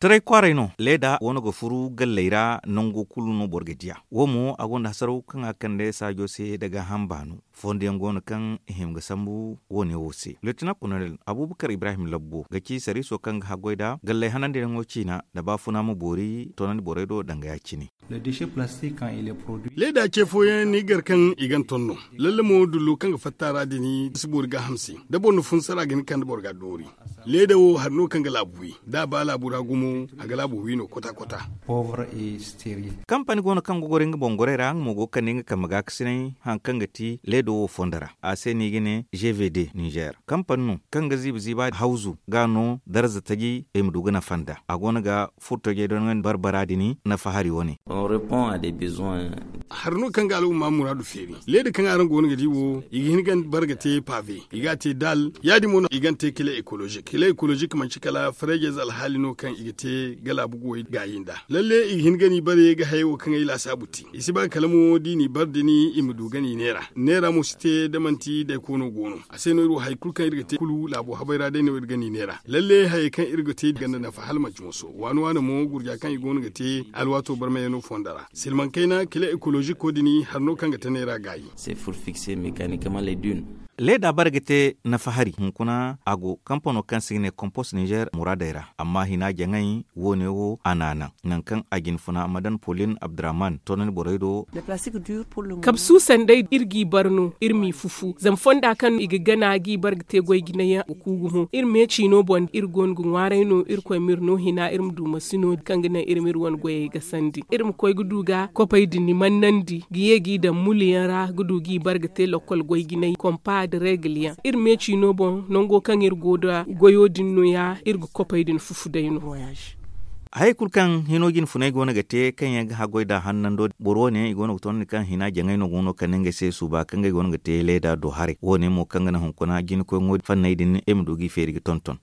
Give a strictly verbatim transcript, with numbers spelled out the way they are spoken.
Taray kwaaray no leeda go no ga furu galley ra nango kulu no boro ga diya. Wo mo a gonda hasaraw kaŋ a kande saajo se daga hamba no. Fondo yaŋ go no kaŋ i hima ga sambu wo ne wo se. Lieutenant colonel abubakar ibrahim labbo ga ci sariiso kaŋ ga haggoy nda galley hanandiyaŋo ciina nda baafuna ma boori toonandi borey do danga ya- cine. Leeda ce fooyaŋ ni gar kaŋ i gan ton no. Lalle mo dullo kaŋ ga fatta ra din si boori gaaham se. Da boro na funsara ga hin kande boro ga doori. Leeda wo hari no kaŋ ga laabu wi. Da a ba laabu ra gumo a ga laabu wi no kota kota. Kampani go no kaŋ ga goro nga boŋ gorey ra nga mo go ga kande nga kambe ga kasinay hari kaŋ ga ti leeda wo fondo ra a se no i ga ne gvd nizer kampani no kaŋ ga ziiba ziiba hawzu ga no darza taji i ma du ga nafa nd'a. A go no ga furtojey dondoŋandi barbara din nafa hari wo- ne. Hari no kaŋ ga al'umma muraadu feeri. Leeda kaŋ araŋ go no ga di wo i ga hin ga ni bar ga te pave i ga a te daal. Ya- din mo no i ga ni te kile ekolozik kile ekolozik manci kala fareejey ze alhaali no kaŋ i ga te ga laabu guwey gaayi nd'a. Lalle i ga hin ga ni bare ga hayey wo kaŋ ay laasaabu te i si ba kala mo da i n'i bar din i ma du ga ni neera. Neera mo si te da manti day koono go no. A se no iri wo hari kulu kaŋ iri ga te kulu laabo habay ra day no iri ga ni neera. Lalle hayey kaŋ iri ga te ganda nafa hala manti moso waani waani mo gurja kaŋ i go no ga te alwaato barmayaŋo fondo ra silmaŋ kayna kile ekoloziko din hari no kaŋ ga te neera gaayi. Leeda bare ga te nafa hari hunkuna a go kampano kaŋ se i ga ne kompos nizer muraadey ra amma hina jaŋay wo- ne wo a n'a naŋ nangu kaŋ a jina funa madan polin abdurrahman toonandi borey do. Kabsu sanday iri g'i bar no iri m'i fufu zama fonda kaŋ i ga gana g'i bar ga te goy jinay yaŋ a ga ku gumo iri me ciino boŋ iri go no ga ŋwaaray no irkoy ma iri no hina iri ma du masino kaŋ ga naŋ iri ma iri wane goyey gasandi iri ma koy ga du ga kopey din mannandi ga ye g'i daŋ mulu yaŋ ra ga du g'i bar ga te lakkol goy jinay kompa nda regil yaŋ iri me ciino boŋ nango kaŋ iri go nda goyo din no- ya iri ga kopey din fufu day no. Hayey kulu kaŋ hino jine funay go no ga te kaŋ yaŋ ga haggoy nd'a hannando boro wo- ne i go no ga toonandi kaŋ hina jaŋay no go no kande ngey se suuba kaŋ ngey go no ga te leeda do haray wo- ne mo kaŋ ga naŋ hunkuna jina koy ŋo fanney din iri ma du g'i feeri ga tonton.